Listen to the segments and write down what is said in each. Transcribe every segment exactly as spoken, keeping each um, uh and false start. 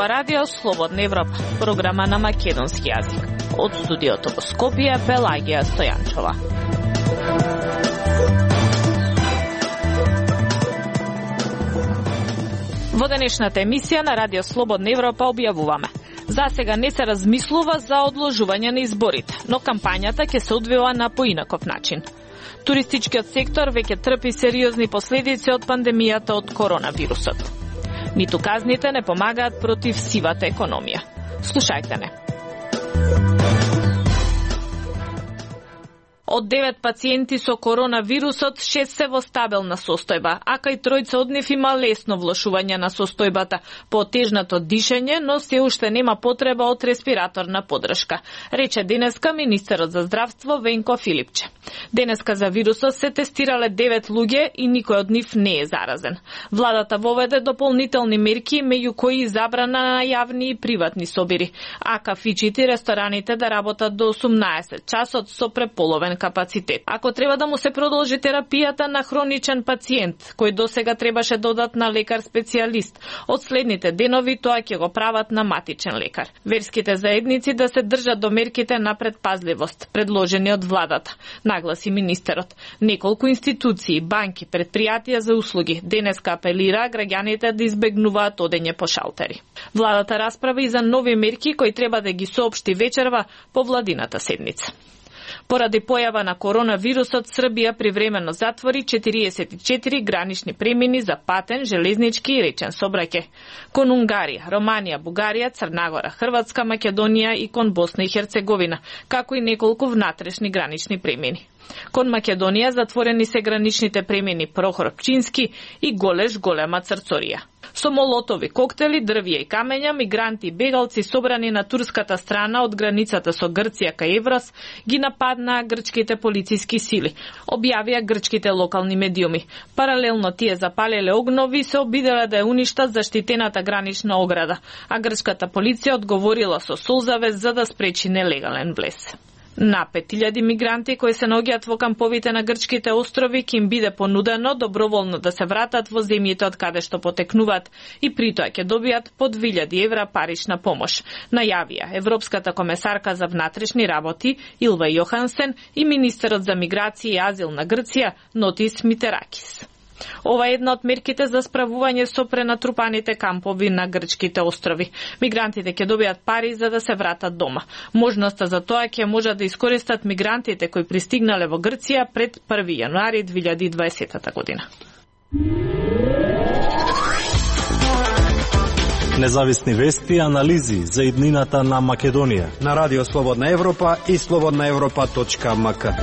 ова радио Слободна Европа, програма на македонски јазик. Од студиото во Скопје, Пелагија Стојанчова. Во денешната емисија на радио Слободна Европа објавуваме: за сега не се размислува за одложување на изборите, но кампањата ќе се одвива на поинаков начин. Туристичкиот сектор веќе трпи сериозни последици од пандемијата од коронавирусот. Ниту казните не помагаат против сивата економија. Слушајте не. Од девет пациенти со коронавирусот, шест се во стабилна состојба, а кај тројца од нив има лесно влошување на состојбата по тежното дишење, но се уште нема потреба од респираторна поддршка, рече денеска министерот за здравство Венко Филипче. Денеска за вирусот се тестирале девет луѓе и никој од нив не е заразен. Владата воведе дополнителни мерки, меѓу кои забрана на јавни и приватни собири, а кафичите и рестораните да работат до осумнаесет часот со преполовен капацитет. Ако треба да му се продолжи терапијата на хроничен пациент, кој досега требаше додат на лекар-специјалист, од следните денови тоа ќе го прават на матичен лекар. Верските заедници да се држат до мерките на предпазливост, предложени од владата, нагласи министерот. Неколку институции, банки, предпријатија за услуги денеска апелира граѓаните да избегнуваат одење по шалтери. Владата расправи и за нови мерки кои треба да ги соопшти вечерва по владината седница. Поради појава на коронавирусот, Србија привремено затвори четириесет и четири гранични премини за патен, железнички и речен сообраќај. Кон Унгарија, Романија, Бугарија, Црнагора, Хрватска, Македонија и кон Босна и Херцеговина, како и неколку внатрешни гранични премини. Кон Македонија затворени се граничните премини Прохор Пчински и Голеш Голема Црцорија. Со молотови коктели, дрвја и камења, мигранти и бегалци собрани на турската страна од границата со Грција кај Еврос ги нападнаа грчките полициски сили, објавија грчките локални медиуми. Паралелно тие запалеле огнови и се обиделе да ја уништат заштитената гранична ограда, а грчката полиција одговорила со солзавез за да спречи нелегален влез. На пет илјади мигранти кои се наоѓаат во камповите на грчките острови ќе им биде понудено доброволно да се вратат во земјите од каде што потекнуваат и притоа ќе добијат по две илјади евра парична помош, најавија Европската комесарка за внатрешни работи Илва Јохансен и министерот за миграција и азил на Грција Нотис Митеракис. Ова е една од мерките за справување со пренатрупаните кампови на грчките острови. Мигрантите ќе добијат пари за да се вратат дома. Можноста за тоа ќе можат да искористат мигрантите кои пристигнале во Грција пред први јануари две илјади и дваесета година. Независни вести и анализи за иднината на Македонија на Радио Слободна Европа и слободна европа точка ем ка.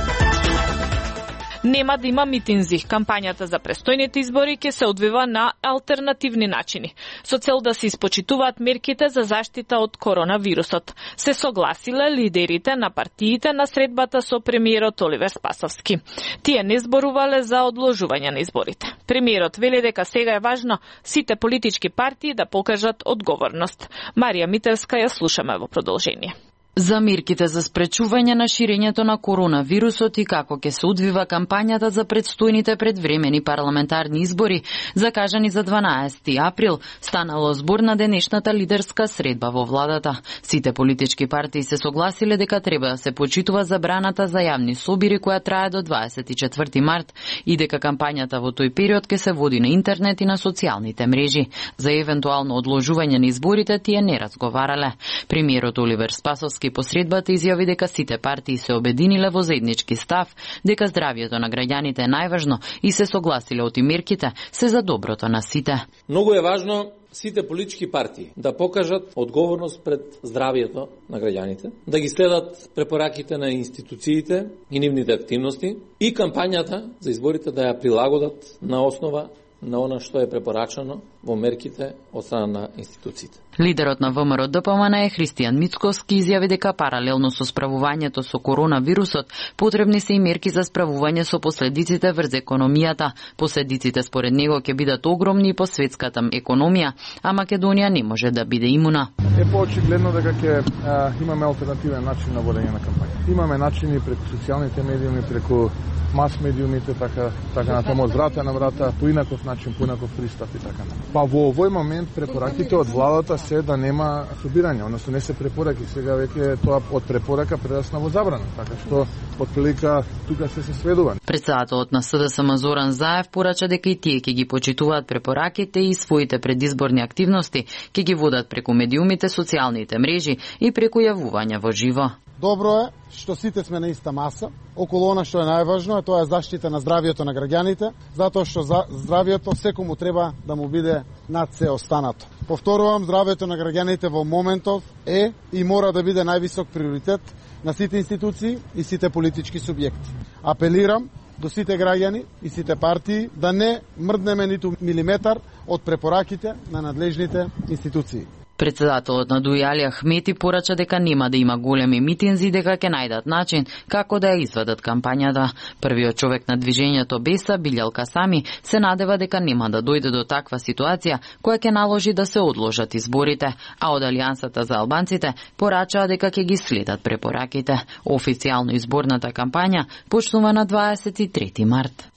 Нема да има митинзи. Кампањата за престојните избори ќе се одвива на алтернативни начини, со цел да се испочитуваат мерките за заштита од коронавирусот. Се согласиле лидерите на партиите на средбата со премиерот Оливер Спасовски. Тие не зборувале за одложување на изборите. Премиерот вели дека сега е важно сите политички партии да покажат одговорност. Марија Мителска ја слушаме во продолжение. За мерките за спречување на ширењето на коронавирусот и како ќе се одвива кампањата за предстојните предвремени парламентарни избори, закажани за дванаесети април, станало збор на денешната лидерска средба во владата. Сите политички партии се согласиле дека треба да се почитува забраната за јавни собири која трае до дваесет и четврти март и дека кампањата во тој период ќе се води на интернет и на социјалните мрежи. За евентуално одложување на изборите тие не разговарале. Премиерот Оливер Спасовски по средбата изјави дека сите партии се обединиле во заеднички став, дека здравјето на граѓаните е најважно и се согласиле оти мерките се за доброто на сите. Многу е важно сите политички партии да покажат одговорност пред здравјето на граѓаните, да ги следат препораките на институциите и нивните активности и кампањата за изборите да ја прилагодат на основа на она што е препорачано во мерките од страна на институциите. Лидерот на ВМРО Д П М Н е Христијан Мицковски изјави дека паралелно со справувањето со коронавирусот потребни се и мерки за справување со последиците врз економијата. Последиците според него ќе бидат огромни по светската економија, а Македонија не може да биде имуна. Е поочигледно дека ќе имаме алтернативен начин на водење на кампања. Имаме начини преку социјалните медиуми, преку мас медиумите, така така на тоа од врата на врата, по инаков начин, по инаков пристап и така. Па во овој момент препораките од владата се да нема собирање, односно не се препораки, сега веќе тоа од препорака прерасна во забрана, така што отприлика тука се се сведува. Председателот на С Д С М Зоран Заев порача дека и тие ќе ги почитуваат препораките и своите предизборни активности ќе ги водат преку медиумите, социјалните мрежи и преку јавувања во живо. Добро е што сите сме на иста маса. Околу она што е најважно е тоа е заштита на здравието на граѓаните, затоа што за здравието секому треба да му биде над се останато. Повторувам, здравието на граѓаните во моментов е и мора да биде највисок приоритет на сите институции и сите политички субјекти. Апелирам до сите граѓани и сите партии да не мрднеме ниту милиметар од препораките на надлежните институции. Председателот на Дуи Али Ахмети порача дека нема да има големи митинзи, дека ќе најдат начин како да ја изведат кампањата. Првиот човек на движењето Беса, Билјал Касами, се надева дека нема да дојде до таква ситуација која ќе наложи да се одложат изборите, а од Алијансата за албанците порачаа дека ќе ги следат препораките. Официјално изборната кампања почнува на дваесет и трети март.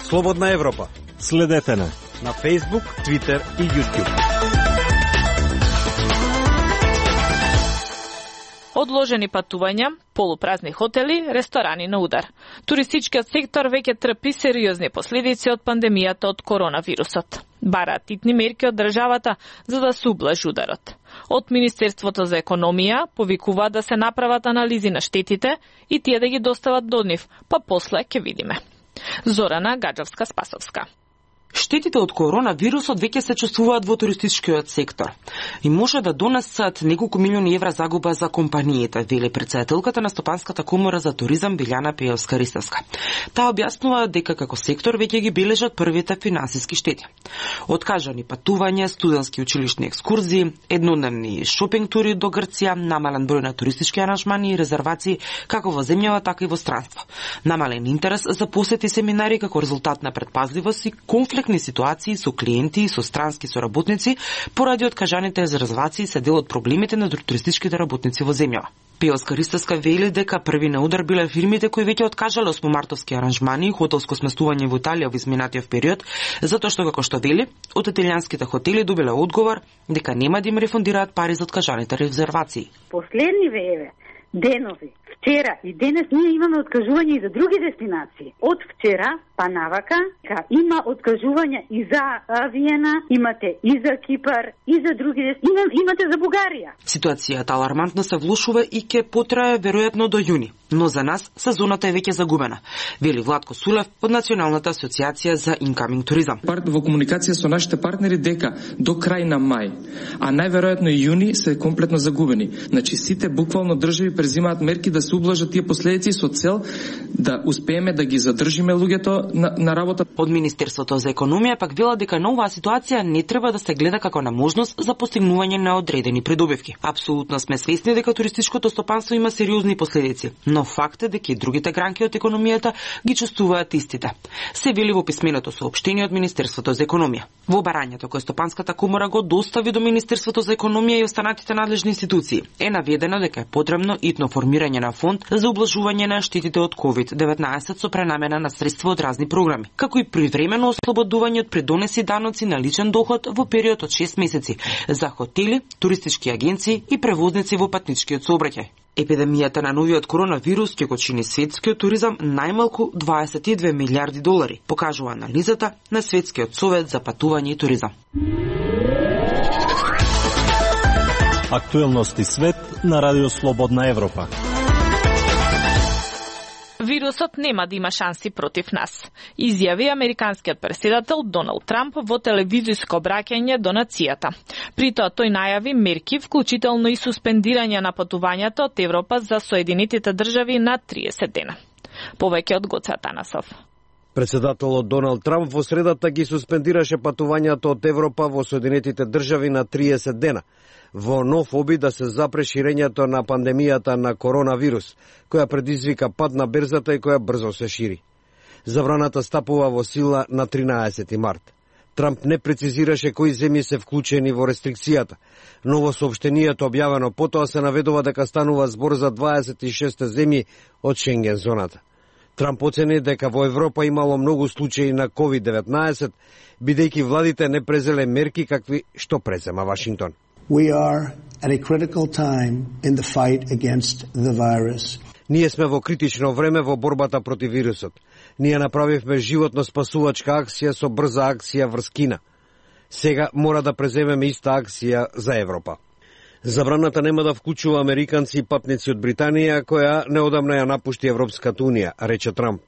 Слободна Европа. Следете на на Facebook, Twitter и YouTube. Одложени патувања, полупразни хотели, ресторани на удар. Туристичкиот сектор веќе трпи сериозни последици од пандемијата од коронавирусот. Бараат итни мерки од државата за да се ублажи ударот. Од Министерството за економија повикуваат да се направат анализи на штетите и тие да ги достават до нив, па после ќе видиме. Зорана Гаджовска-Спасовска. Штетите од коронавирусот веќе се чувствуваат во туристичкиот сектор и може да донесат неколку милиони евра загуба за компаниите, вели претседателката на Стопанската комора за туризам Билјана Пејовска-Ристевска. Таа објаснува дека како сектор веќе ги бележат првите финансиски штети. Откажани патувања, студентски училишни екскурзии, еднодневни шопинг тури до Грција, намален број на туристички аранжмани и резервации како во земјава, така и во странство. Намален интерес за посети семинари како резултат на предпазливост и конфликт ситуации со клиенти и со странски соработници поради откажаните резервации се дел од проблемите на туристичките работници во земјава. Пејовска-Ристевска вели дека први на удар биле фирмите кои веќе откажале осмомартовски аранжмани и хотелско сместување во Италија во изминатиот период, затоа што како што вели, од италијанските хотели добиле одговор дека нема да им рефундираат пари за откажаните резервации. Последни вееве денови, вчера и денес ние имаме откажување и за други дестинации. Од вчера па навака има откажувања и за Виена, имате и за Кипар, и за други дестинации, имате за Бугарија. Ситуацијата алармантно се влошува и ќе потрае веројатно до јуни, но за нас сезоната е веќе загубена, вели Владко Сулев од Националната асоциација за инкаминг туризам. Во комуникација со нашите партнери дека до крај на мај, а најверојатно и јуни се комплетно загубени. Значи сите буквално држави презимаат мерки да се ублажат тие последици со цел да успееме да ги задржиме луѓето на, на работа. Од Министерството за економија пак вела дека на оваа ситуација не треба да се гледа како на можност за постигнување на одредени придобивки. Апсолутно сме свесни дека туристичкото стопанство има сериозни последици, но факт е дека и другите гранки од економијата ги чувствуваат истите. Се вели во писменото соопштение од Министерството за економија. Во барањето кој Стопанската комора го достави до Министерството за економија и останатите надлежни институции е наведено дека е потребно итно формирање на фонд за ублажување на штетите од ковид деветнаесет со пренамена на средства од разни програми, како и привремено ослободување од придонеси даноци на личен доход во период од шест месеци за хотели, туристички агенции и превозници во патничкиот сообраќај. Епидемијата на новиот коронавирус ќе го чини светскиот туризам најмалку дваесет и две милиарди долари, покажува анализата на Светскиот совет за патување и туризам. Актуелности свет на Радио Слободна Европа. Вирусот нема да има шанси против нас, изјави американскиот претседател Доналд Трамп во телевизиско обраќање до нацијата. При тоа тој најави мерки, вклучително и суспендирање на патувањата од Европа за Соединетите држави на триесет дена. Повеќе од Гоце Атанасов. Председателот Доналд Трамп во средата ги суспендираше патувањата од Европа во Соединетите држави на триесет дена, во нов обид да се запре ширењето на пандемијата на коронавирус, која предизвика пад на берзата и која брзо се шири. Забраната стапува во сила на тринаесети март. Трамп не прецизираше кои земји се вклучени во рестрикцијата, но во соопштението објавено потоа се наведува дека станува збор за дваесет и шест земји од Шенген зоната. Трамп оцени дека во Европа имало многу случаи на ковид деветнаесет, бидејќи владите не презеле мерки какви што презема Вашингтон. We are at a critical time in the fight against the virus. Ние сме во критично време во борбата против вирусот. Ние направивме животно спасувачка акција со брза акција врз Кина. Сега мора да преземеме иста акција за Европа. Забраната нема да вклучува американци и патници од Британија, која неодамна ја напушти Европската унија, рече Трамп.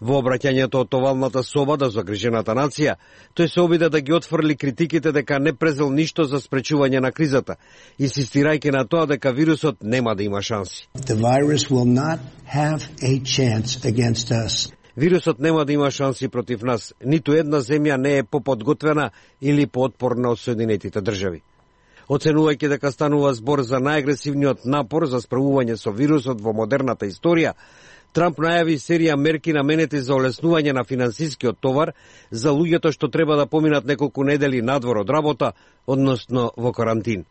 Во обраќањето од овалната соба да загрижената нација, тој се обиде да ги отфрли критиките дека не презел ништо за спречување на кризата, инсистирајќи на тоа дека вирусот нема да има шанси. The virus will not have a chance against us. Вирусот нема да има шанси против нас. Ниту една земја не е поподготвена или поотпорна од Соединетите држави. Оценувајќи дека станува збор за најагресивниот напор за справување со вирусот во модерната историја, Трамп најави серија мерки наменети за олеснување на финансискиот товар за луѓето што треба да поминат неколку недели надвор од работа, односно во карантин.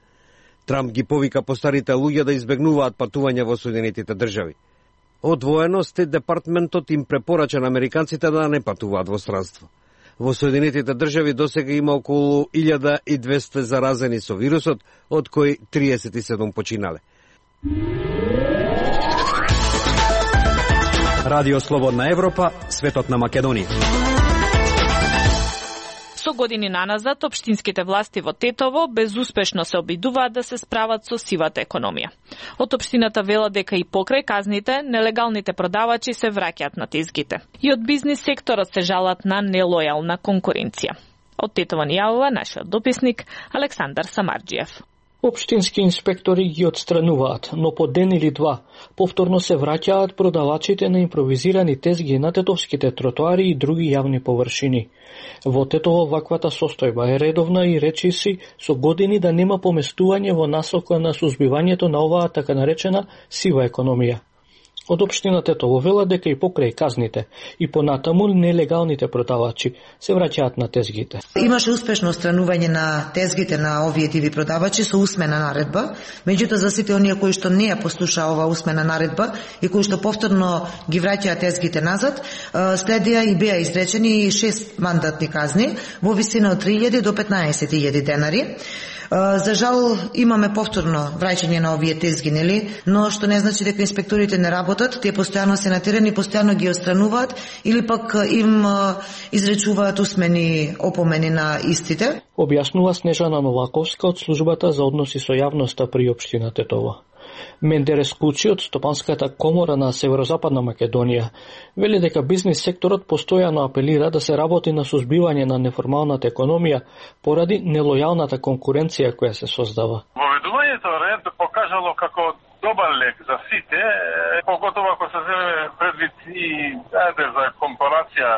Трамп ги повика постарите луѓе да избегнуваат патување во Соединетите држави. Одвоено, Стейт департментот им препорача на американците да не патуваат во странство. Во Соединетите држави досега има околу илјада и двесте заразени со вирусот, од кои триесет и седум починале. Радио Слободна Европа, светот на Македонија. Со години наназад, општинските власти во Тетово безуспешно се обидуваат да се справат со сивата економија. Од општината велат дека и покрај казните, нелегалните продавачи се враќаат на тезгите. И од бизнис секторот се жалат на нелојална конкуренција. Од Тетово ни јавува нашиот дописник Александар Самарџиев. Општински инспектори ги отстрануваат, но по ден или два повторно се враќаат продавачите на импровизирани тезги на тетовските тротоари и други јавни површини. Во Тетово ваквата состојба е редовна и речи си со години да нема поместување во насока на сузбивањето на оваа така наречена сива економија. Од општина Тетово велат дека и покрај казните и понатаму нелегалните продавачи се враќаат на тезгите. Имаше успешно отстранување на тезгите на овие диви продавачи со усмена наредба, меѓутоа за сите оние кои што не ја послуша оваа усмена наредба и кои што повторно ги враќаат тезгите назад, следија и беа изречени шест мандатни казни во висина од три илјади до петнаесет илјади денари. За жал имаме повторно враќање на овие тезги, нели, но што не значи дека инспекторите не работат, тие постојано се на терен и постојано ги отстрануваат или пак им изречуваат усмени опомени на истите. Објаснува Снежана Новаковска од службата за односи со јавноста при општина Тетово. Мендерес Кучи од Стопанската комора на Северозападна Македонија вели дека бизнис секторот постојано апелира да се работи на сузбивање на неформалната економија поради нелојалната конкуренција која се создава. Воведувањето ред покажало како добар лек за сите, поготово ако се земе предвид и ајде за компарација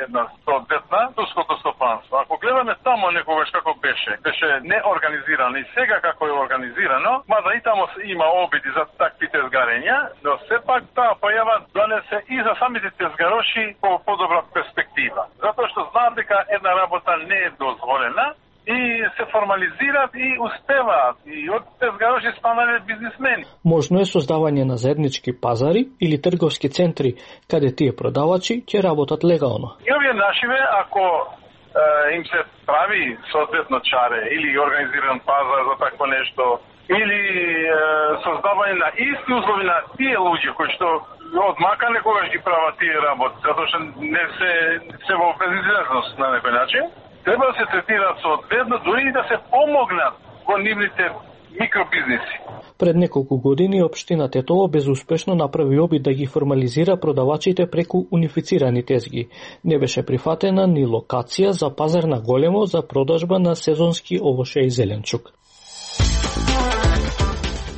една соодветна турското стопанство. Ако гледаме тамо некогаш како беше, беше неорганизирано и сега како е организирано, мада и тамо има обиди за такви тезгарења, но сепак таа појава донесе и за самите тезгароши по подобра перспектива. Затоа што знаат дека една работа не е дозволена и се формализираат и успеваат и од тезгароши станале бизнисмени. Можно е создавање на заеднички пазари или трговски центри каде тие продавачи ќе работат легално. И овие нашиве, ако е, им се прави соодветно чаре или организиран пазар за такво нешто, или е, создавање на исти услови на тие луѓе кои што од мака некогаш ги прават тие работи, затоа што не се се во безизлезност на некој начин, треба да се третираат соодветно, дури и да се помогнат во нивните микробизнеси. Пред неколку години општина Тетово безуспешно направи обид да ги формализира продавачите преку унифицирани тезги. Не беше прифатена ни локација за пазар на големо за продажба на сезонски овоше и зеленчук.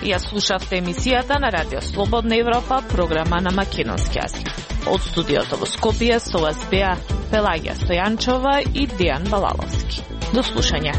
Ја слушавте емисијата на Радио Слободна Европа, програма на македонски јазик. Од студиото во Скопје со вас беа Пелагија Стојанчова и Дејан Балаловски. До слушање.